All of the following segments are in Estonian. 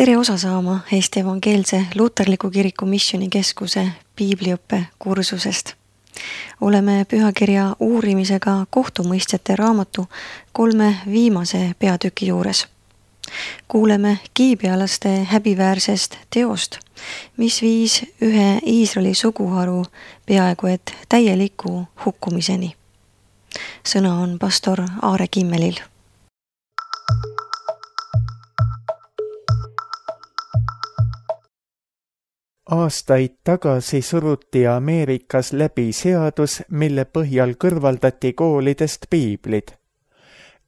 tere osa saama Eesti Evangeelse Luterliku Kiriku Missioonikeskuse piibliõppe kursusest. Oleme pühakirja uurimisega kohtumõistjate raamatu 3 viimase peatüki juures. Kuuleme kiibialaste häbiväärsest teost, mis viis ühe Iisraeli suguharu peaaegu et täieliku hukkumiseni. Sõna on pastor Aare Kimmelil. Aastaid tagasi suruti Ameerikas läbi seadus, mille põhjal kõrvaldati koolidest piiblid.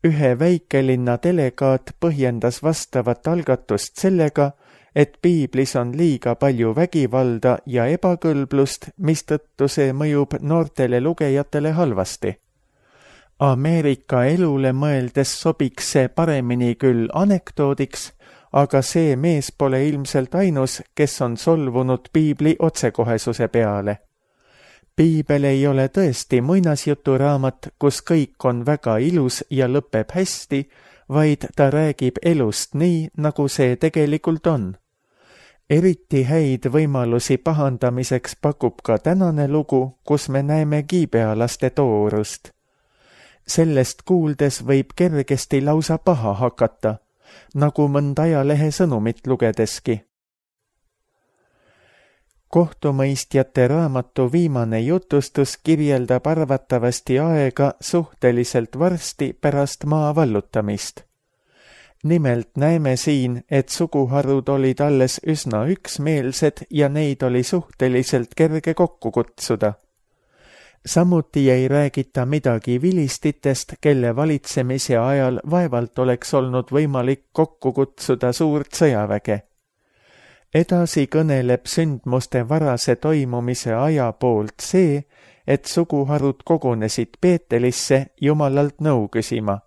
Ühe väikelinna delegaat põhjendas vastavat algatust sellega, et piiblis on liiga palju vägivalda ja ebakõlblust, mistõttu see mõjub noortele lugejatele halvasti. Ameerika elule mõeldes sobiks see paremini küll anekdoodiks, aga see mees pole ilmselt ainus, kes on solvunud piibli otsekohesuse peale. Piibel ei ole tõesti muinasjuturaamat, kus kõik on väga ilus ja lõpeb hästi, vaid ta räägib elust nii, nagu see tegelikult on. Eriti häid võimalusi pahandamiseks pakub ka tänane lugu, kus me näeme kiibealaste toorust. Sellest kuuldes võib kergesti lausa paha hakata, nagu mõnda ajalehe sõnumit lugedeski. Kohtumõistjate raamatu viimane jutustus kirjeldab arvatavasti aega suhteliselt varsti pärast maa vallutamist. Nimelt näeme siin, et suguharud olid alles üsna üksmeelsed ja neid oli suhteliselt kerge kokku kutsuda. Samuti ei räägita midagi vilistitest, kelle valitsemise ajal vaevalt oleks olnud võimalik kokku kutsuda suurt sõjaväge. Edasi kõneleb sündmuste varase toimumise aja poolt see, et suguharud kogunesid Beetelisse Jumalalt nõu küsima.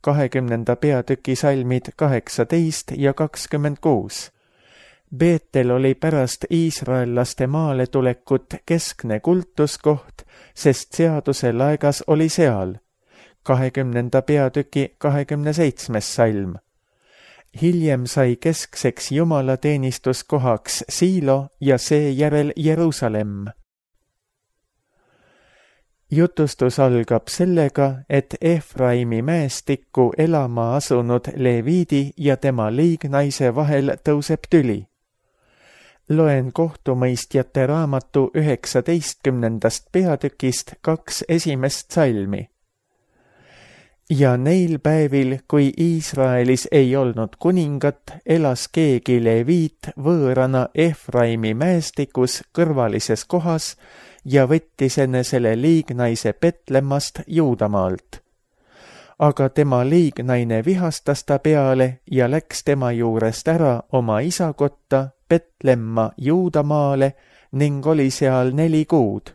20. peatüki salmid 18 ja 26. Beetel oli pärast iisraellaste maale tulekut keskne kultuskoht, sest seaduse laegas oli seal. 20. peatüki 27. salm. Hiljem sai keskseks jumalateenistuskohaks Siilo ja seejärel Jeruusalemm. Jutustus algab sellega, et Efraimi mäestikku elama asunud Leviidi ja tema liignaise vahel tõuseb tüli. Loen kohtumõistjate raamatu 19. peatükist 2 esimest salmi. Ja neil päevil, kui Iisraelis ei olnud kuningat, elas keegi Leviit võõrana Efraimi mäestikus kõrvalises kohas ja võttis enesele liignaise Betlemmast Juudamaalt. Aga tema liignaine vihastas ta peale ja läks tema juurest ära oma isa kotta Betlemma Juudamaale ning oli seal 4 kuud.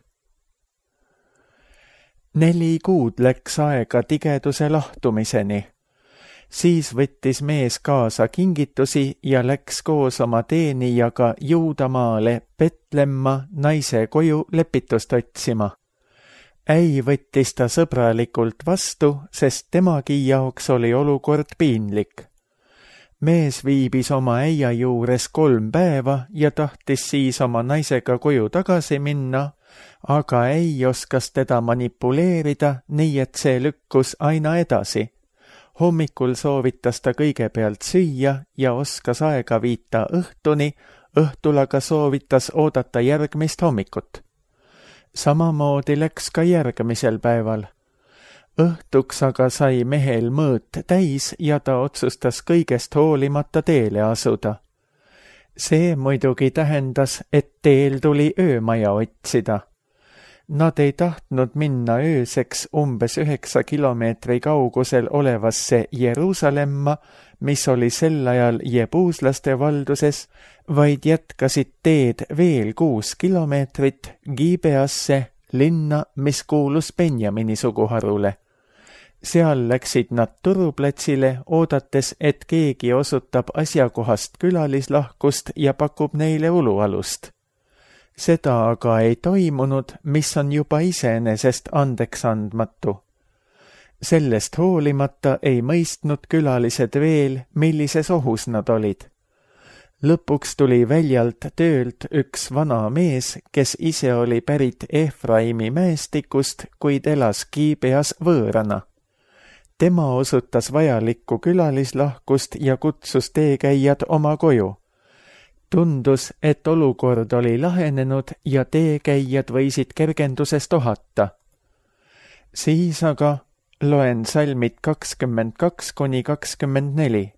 4 kuud läks aega tigeduse lahtumiseni. Siis võttis mees kaasa kingitusi ja läks koos oma teenijaga Juudamaale Betlemma naise koju lepitust otsima. Äi võttis ta sõbralikult vastu, sest temagi jaoks oli olukord piinlik. Mees viibis oma äia juures 3 päeva ja tahtis siis oma naisega koju tagasi minna, aga äi oskas teda manipuleerida, nii et see lükkus aina edasi. Hommikul soovitas ta kõigepealt süüa ja oskas aega viita õhtuni, õhtul aga soovitas oodata järgmist hommikut. Samamoodi läks ka järgmisel päeval. Õhtuks aga sai mehel mõõt täis ja ta otsustas kõigest hoolimata teele asuda. See muidugi tähendas, et teel tuli öömaja otsida. Nad ei tahtnud minna ööseks umbes 9 kilomeetri kaugusel olevasse Jeruusalemma, mis oli sel ajal jebuuslaste valduses, vaid jätkasid teed veel 6 kilomeetrit Gibeasse, linna, mis kuulus Benjamini suguharule. Seal läksid nad turuplatsile, oodates, et keegi osutab asjakohast külalislahkust ja pakub neile ulualust. Seda aga ei toimunud, mis on juba iseenesest andeks andmatu. Sellest hoolimata ei mõistnud külalised veel, millises ohus nad olid. Lõpuks tuli väljalt töölt üks vana mees, kes ise oli pärit Efraimi mäestikust, kuid elas Gibeas võõrana. Tema osutas vajalikku külalislahkust ja kutsus teekäijad oma koju. Tundus, et olukord oli lahenenud ja teekäijad võisid kergendusest ohata. Siis aga loen salmid 22–24.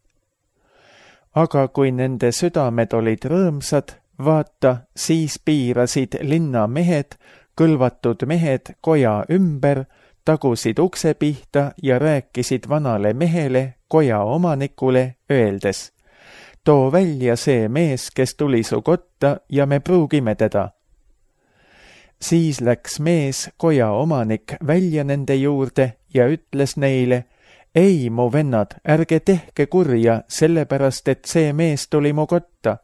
Aga kui nende südamed olid rõõmsad, vaata, siis piirasid linna mehed, kõlvatud mehed koja ümber, tagusid ukse pihta ja rääkisid vanale mehele, koja omanikule, öeldes: too välja see mees, kes tuli su kotta ja me pruugime teda. Siis läks mees, koja omanik, välja nende juurde ja ütles neile: ei, mu vennad, ärge tehke kurja, sellepärast, et see mees tuli mu kotta.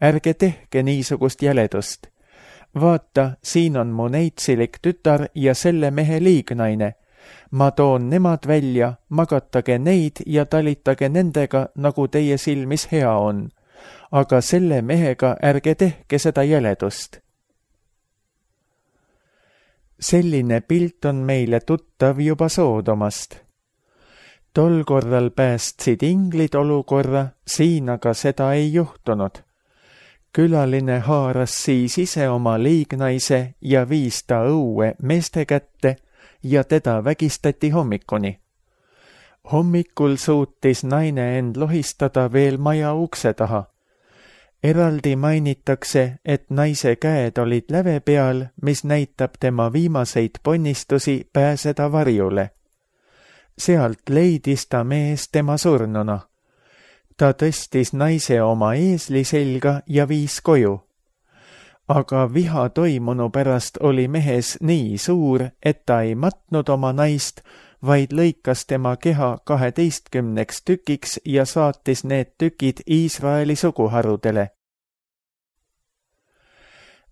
Ärge tehke niisugust jäledust. Vaata, siin on mu neitsilik tütar ja selle mehe liignaine. Ma toon nemad välja, magatage neid ja talitage nendega, nagu teie silmis hea on. Aga selle mehega ärge tehke seda jäledust. Selline pilt on meile tuttav juba Soodomast. Tol korral päästsid inglid olukorra, siin aga seda ei juhtunud. Külaline haaras siis ise oma liignaise ja viis ta õue meeste kätte ja teda vägistati hommikuni. Hommikul suutis naine end lohistada veel maja ukse taha. Eraldi mainitakse, et naise käed olid läve peal, mis näitab tema viimaseid ponnistusi pääseda varjule. Sealt leidis ta mees tema surnuna. Ta tõstis naise oma eesli selga ja viis koju. Aga viha toimunu pärast oli mehes nii suur, et ta ei matnud oma naist, vaid lõikas tema keha 12 tükiks ja saatis need tükid Iisraeli suguharudele.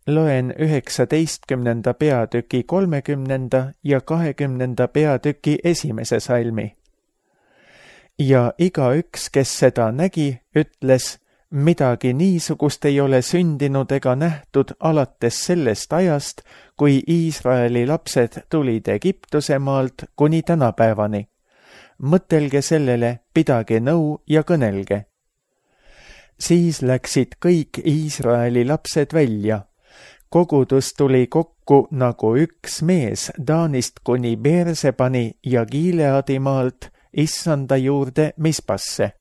Loen 19. peatüki 30. ja 20. peatüki 1. salmi. Ja igaüks, kes seda nägi, ütles: midagi niisugust ei ole sündinud ega nähtud alates sellest ajast, kui Iisraeli lapsed tulid Egiptuse maalt kuni tänapäevani. Mõtelge sellele, pidage nõu ja kõnelge. Siis läksid kõik Iisraeli lapsed välja. Kogudus tuli kokku nagu üks mees Taanist kuni Beersebani ja Gileadi maalt Issanda juurde Mispasse.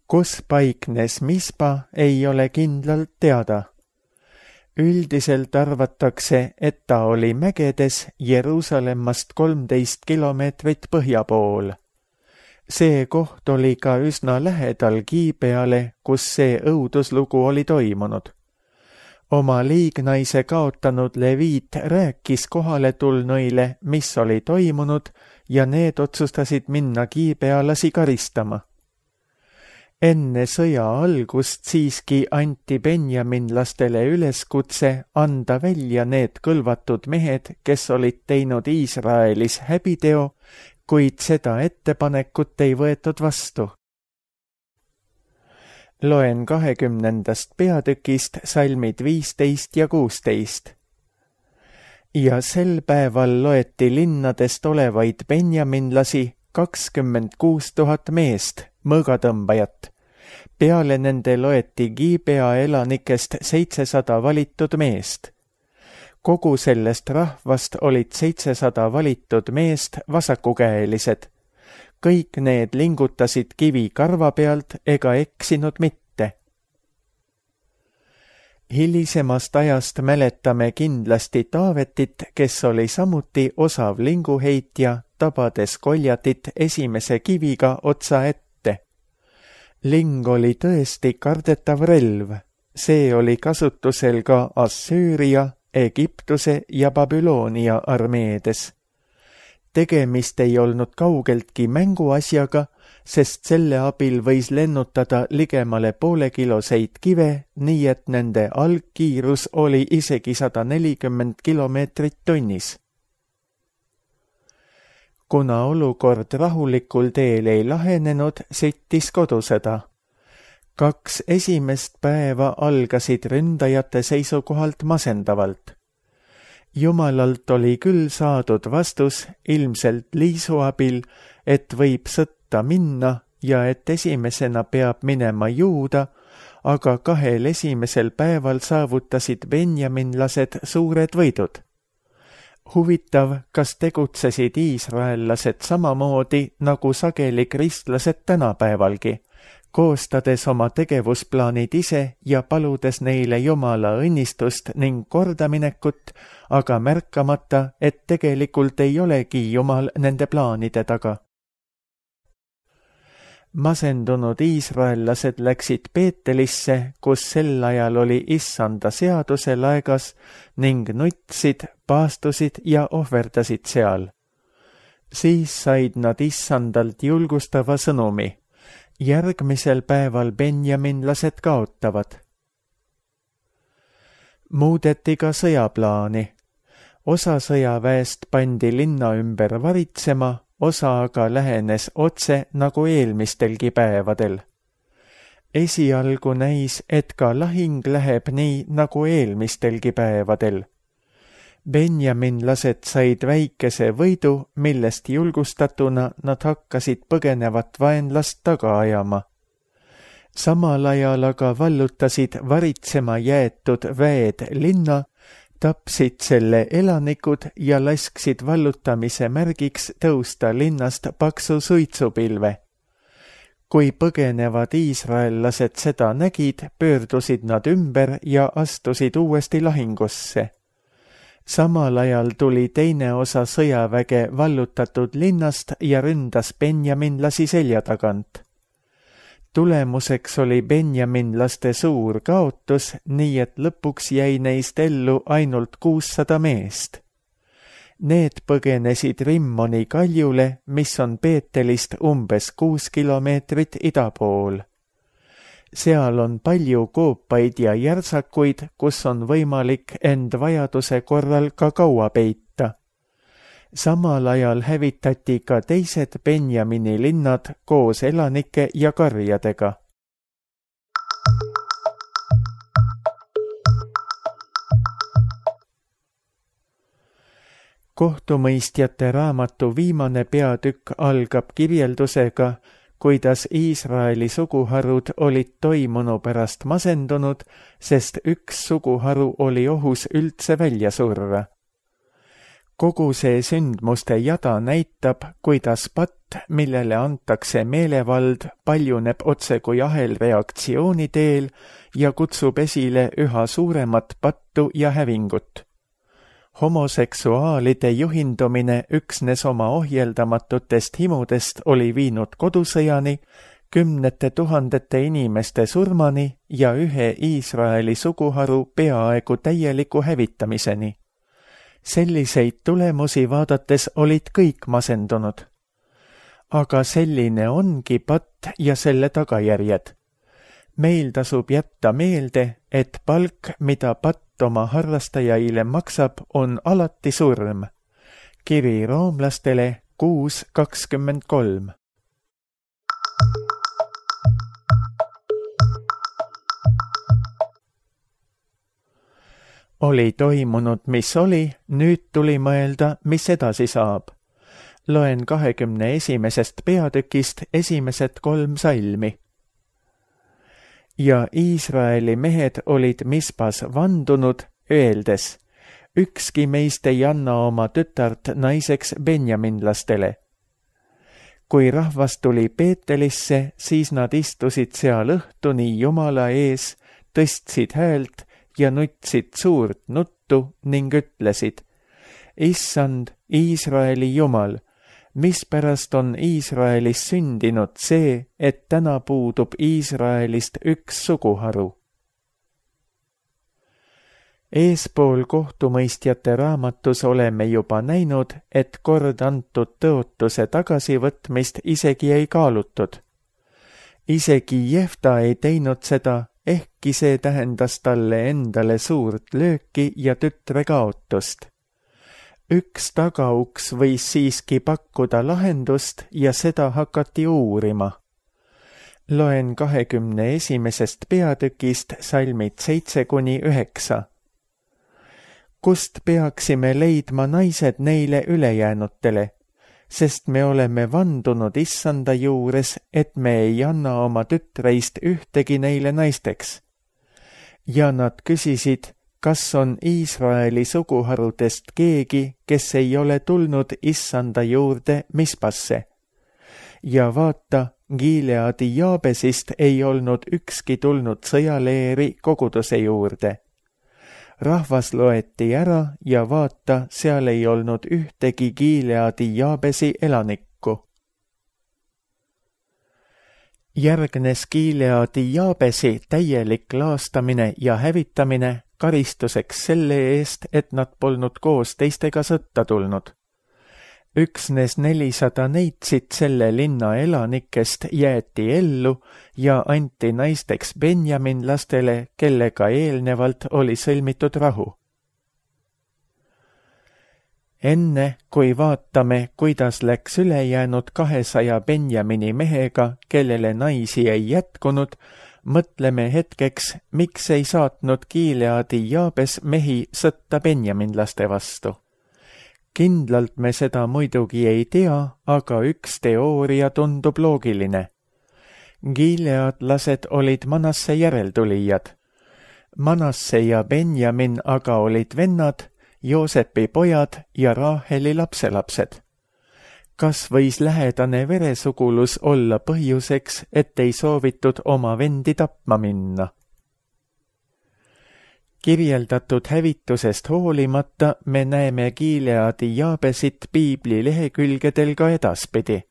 Kus paiknes Mispa, ei ole kindlalt teada. Üldiselt arvatakse, et ta oli mägedes Jeruusalemmast 13 kilomeetrit põhja pool. See koht oli ka üsna lähedal Gibeale, kus see õuduslugu oli toimunud. Oma liignaise kaotanud Leviit rääkis kohale tulnuile, mis oli toimunud, ja need otsustasid minna gibealasi karistama. Enne sõja algust siiski anti benjaminlastele üleskutse anda välja need kõlvatud mehed, kes olid teinud Iisraelis häbiteo, kuid seda ettepanekut ei võetud vastu. Loen 20. peatükist salmid 15 ja 16. Ja sel päeval loeti linnadest olevaid benjaminlasi 26 000 meest, mõõgatõmbajat. Peale nende loeti Gibea elanikest 700 valitud meest. Kogu sellest rahvast olid 700 valitud meest vasakukäelised. Kõik need lingutasid kivi karva pealt ega eksinud mitte. Hilisemast ajast mäletame kindlasti Taavetit, kes oli samuti osav linguheitja, tabades Goljatit esimese kiviga otsa ette. Ling oli tõesti kardetav relv. See oli kasutusel ka Assüüria, Egiptuse ja Babyloonia armeedes. Tegemist ei olnud kaugeltki mänguasjaga, sest selle abil võis lennutada ligemale poolekiloseid kive, nii et nende algkiirus oli isegi 140 kilomeetrit tunnis. Kuna olukord rahulikul teel ei lahenenud, süttis kodusõda. 2 esimest päeva algasid ründajate seisukohalt masendavalt. Jumalalt oli küll saadud vastus ilmselt Liisu abil, et võib sõtta minna ja et esimesena peab minema Juuda, aga 2 esimesel päeval saavutasid benjaminlased suured võidud. Huvitav, kas tegutsesid iisraellased samamoodi nagu sageli kristlased tänapäevalgi, koostades oma tegevusplaanid ise ja paludes neile Jumala õnnistust ning kordaminekut, aga märkamata, et tegelikult ei olegi Jumal nende plaanide taga. Masendunud iisraellased läksid Peetelisse, kus sel ajal oli Issanda seaduse laegas ning nutsid, paastusid ja ohverdasid seal. Siis said nad Issandalt julgustava sõnumi. Järgmisel päeval benjaminlased kaotavad. Muudeti ka sõjaplaani. Osa sõjaväest pandi linna ümber varitsema, osa aga lähenes otse nagu eelmistelgi päevadel. Esialgu näis, et ka lahing läheb nii nagu eelmistelgi päevadel. Benjaminlased said väikese võidu, millest julgustatuna nad hakkasid põgenevat vaenlast taga ajama. Samal ajal aga vallutasid varitsema jäetud väed linna, tapsid selle elanikud ja lasksid vallutamise märgiks tõusta linnast paksu suitsupilve. Kui põgenevad iisraellased seda nägid, pöördusid nad ümber ja astusid uuesti lahingusse. Samal ajal tuli teine osa sõjaväge vallutatud linnast ja ründas benjaminlasi selja tagant. Tulemuseks oli benjaminlaste suur kaotus, nii et lõpuks jäi neist ellu ainult 600 meest. Need põgenesid Rimmoni kaljule, mis on Peetelist umbes 6 kilomeetrit ida pool. Seal on palju koopaid ja järsakuid, kus on võimalik end vajaduse korral ka kaua peita. Samal ajal hävitati ka teised Benjamini linnad koos elanike ja karjadega. Kohtumõistjate raamatu viimane peatükk algab kirjeldusega, kuidas Iisraeli suguharud olid toimunu pärast masendunud, sest üks suguharu oli ohus üldse välja surra. Kogu see sündmuste jada näitab, kuidas patt, millele antakse meelevald, paljuneb otse kui ahelreaktsiooni teel ja kutsub esile üha suuremat pattu ja hävingut. Homoseksuaalide juhindumine üksnes oma ohjeldamatutest himudest oli viinud kodusõjani, 10 000 inimeste surmani ja ühe Iisraeli suguharu peaaegu täieliku hävitamiseni. Selliseid tulemusi vaadates olid kõik masendunud. Aga selline ongi patt ja selle tagajärjed. Meil tasub jätta meelde, et palk, mida patt oma harrastajaile maksab, on alati surm. Kiri roomlastele 6:23. Oli toimunud, mis oli, nüüd tuli mõelda, mis edasi saab. Loen 21. peatükist esimesed 3 salmi. Ja Iisraeli mehed olid Mispas vandunud, öeldes, ükski meist ei anna oma tütart naiseks benjaminlastele. Kui rahvas tuli Peetelisse, siis nad istusid seal õhtuni Jumala ees, tõstsid häält ja nutsid suurt nuttu ning ütlesid, Issand, Iisraeli Jumal, mispärast on Iisraelis sündinud see, et täna puudub Iisraelist üks suguharu. Eespool kohtumõistjate raamatus oleme juba näinud, et kord antud tõotuse tagasivõtmist isegi ei kaalutud. Isegi Jefta ei teinud seda, ehkki see tähendas talle endale suurt lööki ja tütre kaotust. Üks tagauks võis siiski pakkuda lahendust ja seda hakati uurima. Loen 21. peatükist salmid 7-9. Kust peaksime leidma naised neile ülejäänutele, sest me oleme vandunud Issanda juures, et me ei anna oma tütreist ühtegi neile naisteks. Ja nad küsisid, kas on Iisraeli suguharudest keegi, kes ei ole tulnud Issanda juurde Mispasse. Ja vaata, Gileadi Jaabesist ei olnud ükski tulnud sõjaleeri koguduse juurde. Rahvas loeti ära ja vaata, seal ei olnud ühtegi Gileadi Jaabesi elanikku. Järgnes Gileadi Jaabesi täielik laastamine ja hävitamine karistuseks selle eest, et nad polnud koos teistega sõtta tulnud. Üksnes 400 neitsit selle linna elanikest jäeti ellu ja anti naisteks benjaminlastele, kellega eelnevalt oli sõlmitud rahu. Enne, kui vaatame, kuidas läks ülejäänud 200 Benjamini mehega, kellele naisi ei jätkunud, mõtleme hetkeks, miks ei saatnud Gileadi Jaabes mehi sõtta benjaminlaste vastu. Kindlalt me seda muidugi ei tea, aga üks teooria tundub loogiline. Gileadlased olid Manasse järeltulijad. Manasse ja Benjamin aga olid vennad, Joosepi pojad ja Raaheli lapselapsed. Kas võis lähedane veresugulus olla põhjuseks, et ei soovitud oma vendi tapma minna? Kirjeldatud hävitusest hoolimata me näeme Gileadi Jaabesit piibli lehekülgedel ka edaspidi.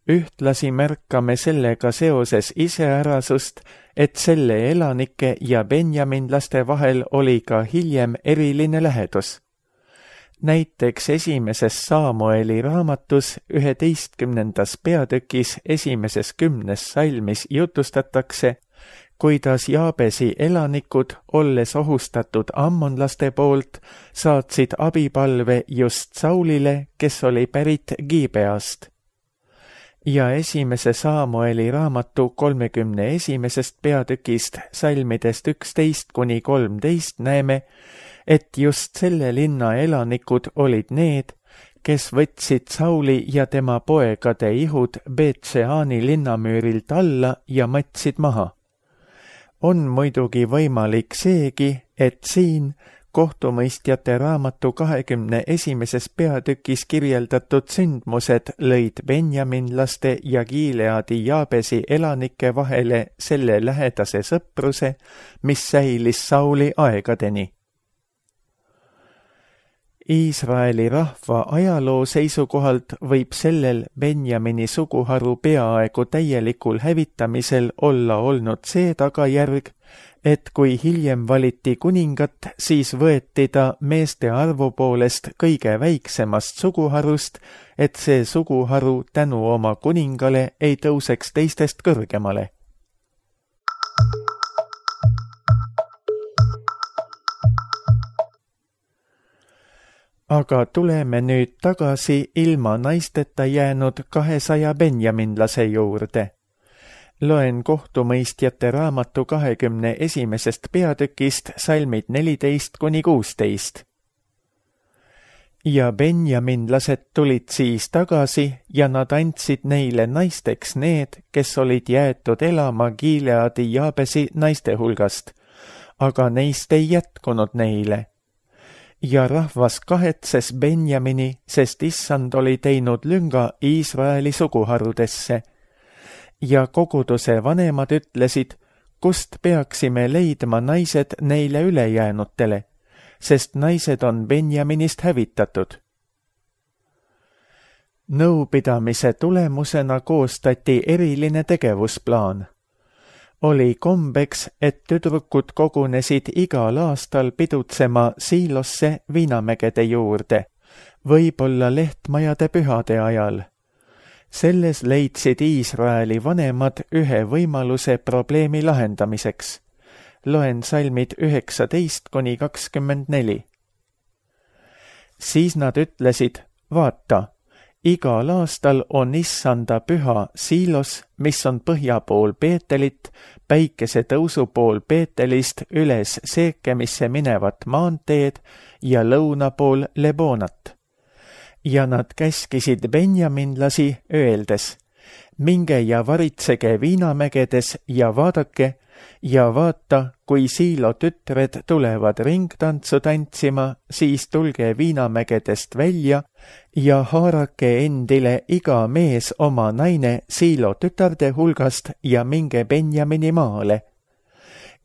Ühtlasi märkame sellega seoses iseärasust, et selle elanike ja benjaminlaste vahel oli ka hiljem eriline lähedus. Näiteks 1. Saamueli raamatus 11. peatükis 1. 10. salmis jutustatakse, kuidas Jaabesi elanikud, olles ohustatud ammonlaste poolt, saatsid abipalve just Saulile, kes oli pärit Gibeast. Ja 1. Saamueli raamatu 31. peatükist salmidest 11-13 näeme, et just selle linna elanikud olid need, kes võtsid Sauli ja tema poegade ihud Beet-Sheani linnamüürilt alla ja matsid maha. On muidugi võimalik seegi, et siin kohtumõistjate raamatu 21. peatükis kirjeldatud sündmused lõid benjaminlaste ja Gileadi Jaabesi elanike vahele selle lähedase sõpruse, mis säilis Sauli aegadeni. Iisraeli rahva ajaloo seisukohalt võib sellel Benjamini suguharu peaaegu täielikul hävitamisel olla olnud see tagajärg, et kui hiljem valiti kuningat, siis võeti ta meeste arvu poolest kõige väiksemast suguharust, et see suguharu tänu oma kuningale ei tõuseks teistest kõrgemale. Aga tuleme nüüd tagasi ilma naisteta jäänud 200 benjaminlase juurde. Loen kohtumõistjate raamatu 21. peatükist salmid 14-16. Ja benjaminlased tulid siis tagasi ja nad andsid neile naisteks need, kes olid jäetud elama Gileadi Jaabesi naiste hulgast, aga neist ei jätkunud neile. Ja rahvas kahetses Benjamini, sest Issand oli teinud lünga Iisraeli suguharudesse. Ja koguduse vanemad ütlesid, kust peaksime leidma naised neile ülejäänutele, sest naised on Benjaminist hävitatud. Nõupidamise tulemusena koostati eriline tegevusplaan. Oli kombeks, et tüdrukud kogunesid igal aastal pidutsema Siilosse viinamägede juurde, võib-olla lehtmajade pühade ajal. Selles leidsid Iisraeli vanemad ühe võimaluse probleemi lahendamiseks. Loen salmid 19-24. Siis nad ütlesid, vaata, Igal aastal on issanda püha Siilos, mis on põhja pool Peetelit, päikese tõusu pool Peetelist üles Seekemisse minevat maanteed ja lõuna pool Lebonat. Ja nad käskisid benjaminlasi öeldes, minge ja varitsege viinamägedes ja vaadake, ja vaata, kui Siilo tütred tulevad ringtantsu tantsima, siis tulge viinamägedest välja ja haarake endile iga mees oma naine Siilo tütarde hulgast ja minge Benjamini maale.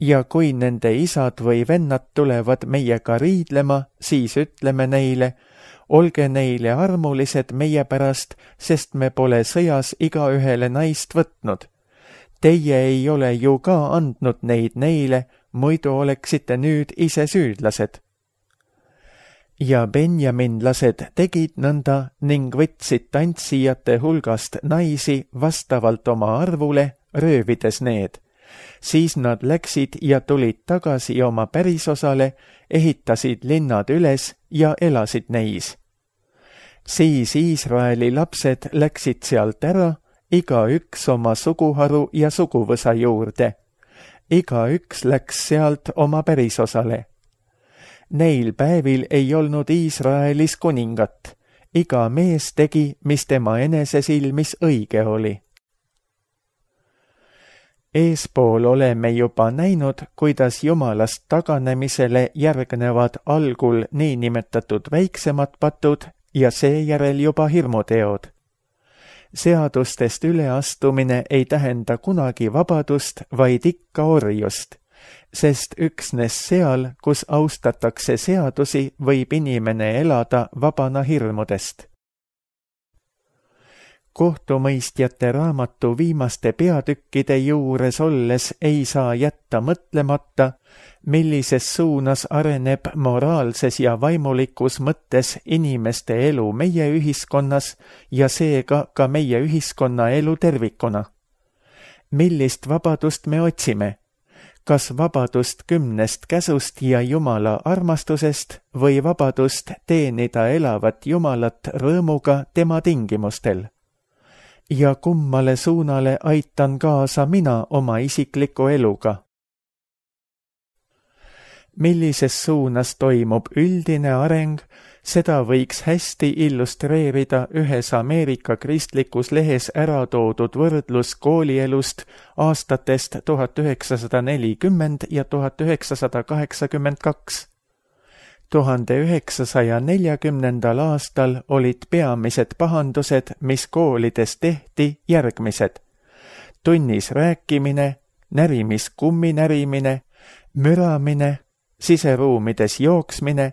Ja kui nende isad või vennad tulevad meiega riidlema, siis ütleme neile, olge neile armulised meie pärast, sest me pole sõjas igaühele naist võtnud. Teie ei ole ju ka andnud neid neile, muidu oleksite nüüd ise süüdlased. Ja benjaminlased tegid nõnda ning võtsid tantsijate hulgast naisi vastavalt oma arvule, röövides need. Siis nad läksid ja tulid tagasi oma pärisosale, ehitasid linnad üles ja elasid neis. Siis Iisraeli lapsed läksid sealt ära, igaüks oma suguharu ja suguvõsa juurde. Igaüks läks sealt oma pärisosale. Neil päevil ei olnud Iisraelis kuningat. Iga mees tegi, mis tema enese silmis õige oli. Eespool oleme juba näinud, kuidas Jumalast taganemisele järgnevad algul niinimetatud väiksemad patud ja seejärel juba hirmuteod. Seadustest üleastumine ei tähenda kunagi vabadust, vaid ikka orjust, sest üksnes seal, kus austatakse seadusi, võib inimene elada vabana hirmudest. Kohtumõistjate raamatu viimaste peatükkide juures olles ei saa jätta mõtlemata, millises suunas areneb moraalses ja vaimulikus mõttes inimeste elu meie ühiskonnas ja seega ka meie ühiskonna elu tervikuna. Millist vabadust me otsime? Kas vabadust 10 käsust ja Jumala armastusest või vabadust teenida elavat Jumalat rõõmuga tema tingimustel? Ja kummale suunale aitan kaasa mina oma isikliku eluga? Millises suunas toimub üldine areng, seda võiks hästi illustreerida ühes Ameerika kristlikus lehes ära toodud võrdlus koolielust aastatest 1940 ja 1982. 1940. aastal olid peamised pahandused, mis koolides tehti, järgmised. Tunnis rääkimine, närimiskummi närimine, müramine, siseruumides jooksmine,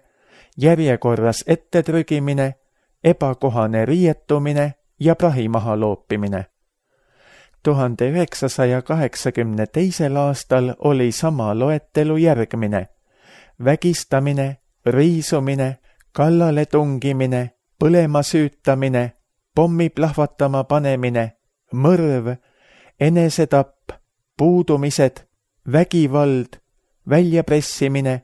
järjekorras ettetrügimine, ebakohane riietumine ja prahi maha loopimine. 1982. aastal oli sama loetelu järgmine: vägistamine, riisumine, kallale tungimine, põlema süütamine, pommi plahvatama panemine, mõrv, enesetapp, puudumised, vägivald, väljapressimine,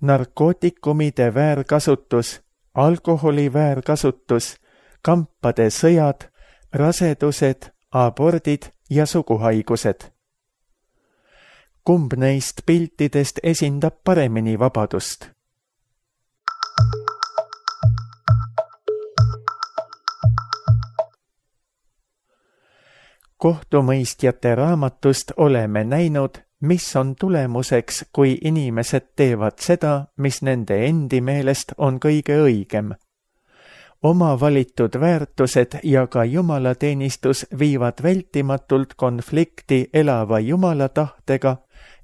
narkootikumide väärkasutus, alkoholi väärkasutus, kampade sõjad, rasedused, abordid ja suguhaigused. Kumb neist piltidest esindab paremini vabadust? Kohtumõistjate raamatust oleme näinud, mis on tulemuseks, kui inimesed teevad seda, mis nende endi meelest on kõige õigem. Oma valitud väärtused ja ka jumalateenistus viivad vältimatult konflikti elava jumala tahtega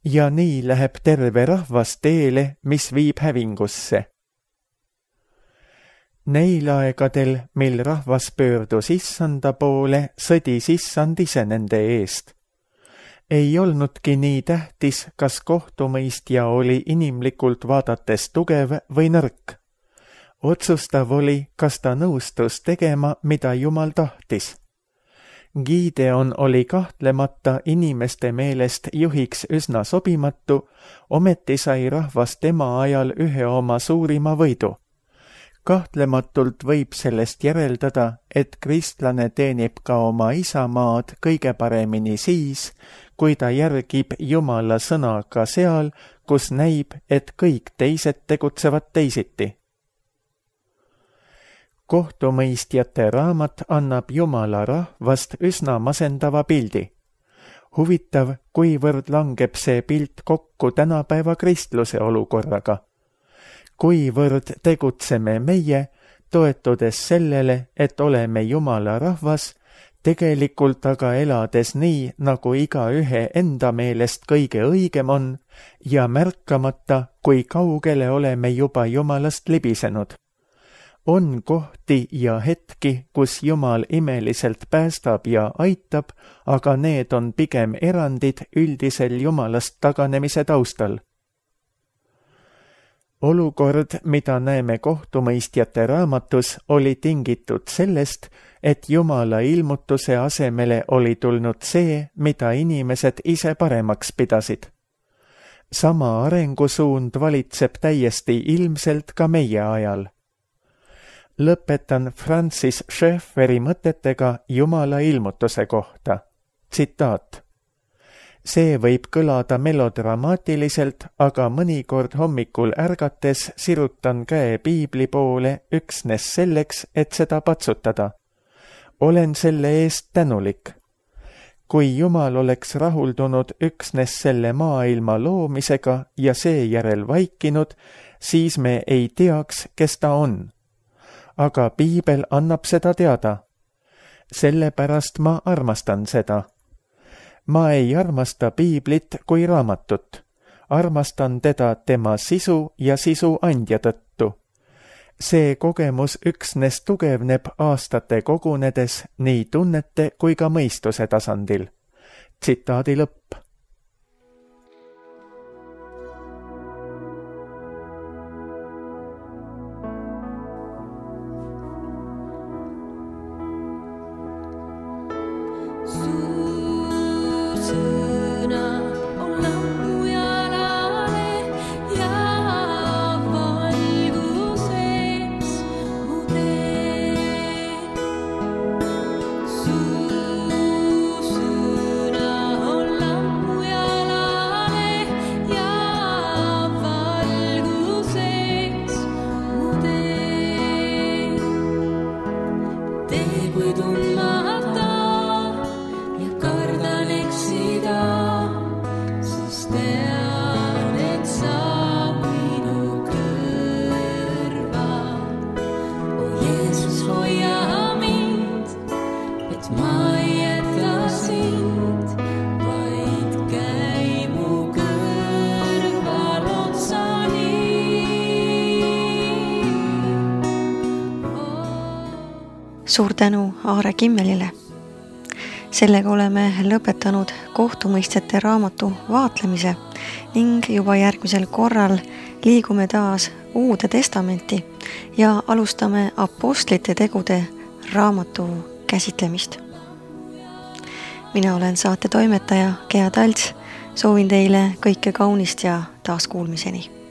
ja nii läheb terve rahvas teele, mis viib hävingusse. Neil aegadel, mil rahvas pöördus issanda poole, sõdis issand ise nende eest. Ei olnudki nii tähtis, kas kohtumõistja oli inimlikult vaadates tugev või nõrk. Otsustav oli, kas ta nõustus tegema, mida Jumal tahtis. Gideon oli kahtlemata inimeste meelest juhiks üsna sobimatu, ometi sai rahvas tema ajal ühe oma suurima võidu. Kahtlematult võib sellest järeldada, et kristlane teenib ka oma isamaad kõige paremini siis, kui ta järgib Jumala sõna ka seal, kus näib, et kõik teised tegutsevad teisiti. Kohtumõistjate raamat annab Jumala rahvast üsna masendava pildi. Huvitav, kuivõrd langeb see pilt kokku tänapäeva kristluse olukorraga. Kuivõrd tegutseme meie, toetudes sellele, et oleme Jumala rahvas, tegelikult aga elades nii, nagu igaühe enda meelest kõige õigem on ja märkamata, kui kaugele oleme juba Jumalast libisenud. On kohti ja hetki, kus Jumal imeliselt päästab ja aitab, aga need on pigem erandid üldisel Jumalast taganemise taustal. Olukord, mida näeme kohtumõistjate raamatus, oli tingitud sellest, et Jumala ilmutuse asemele oli tulnud see, mida inimesed ise paremaks pidasid. Sama arengusuund valitseb täiesti ilmselt ka meie ajal. Lõpetan Francis Schaefferi mõtetega Jumala ilmutuse kohta. Tsitaat. See võib kõlada melodramaatiliselt, aga mõnikord hommikul ärgates sirutan käe piibli poole üksnes selleks, et seda patsutada. Olen selle eest tänulik. Kui Jumal oleks rahuldunud üksnes selle maailma loomisega ja seejärel vaikinud, siis me ei teaks, kes ta on. Aga piibel annab seda teada. Sellepärast ma armastan seda. Ma ei armasta piiblit kui raamatut. Armastan teda tema sisu ja sisu andja tõttu. See kogemus üksnes tugevneb aastate kogunedes nii tunnete kui ka mõistuse tasandil. Tsitaadi lõpp. Suur tänu Aare Kimmelile. Sellega oleme lõpetanud kohtumõistjate raamatu vaatlemise ning juba järgmisel korral liigume taas Uude Testamenti ja alustame Apostlite tegude raamatu käsitlemist. Mina olen saate toimetaja Gea Talts, soovin teile kõike kaunist ja taaskuulmiseni.